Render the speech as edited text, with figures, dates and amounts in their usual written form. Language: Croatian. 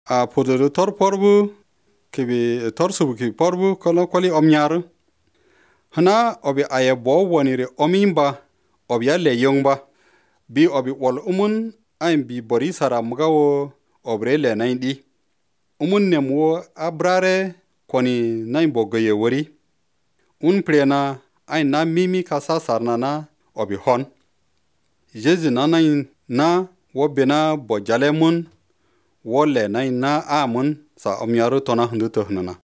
a podo tor porbu kibi tor subu ki porbu kono koli omnyar hana obi aye bo wonire omimba obi le yongba bi obi wol ayin bi bori sara mugawo obre le naindi nemwo abrare koni nain bogoye wori prena ayin na mimi kasa sarnana obi hon Jesu na nain na wo bena bojale wo le nain na amun sa omyaru tona hundu to hunana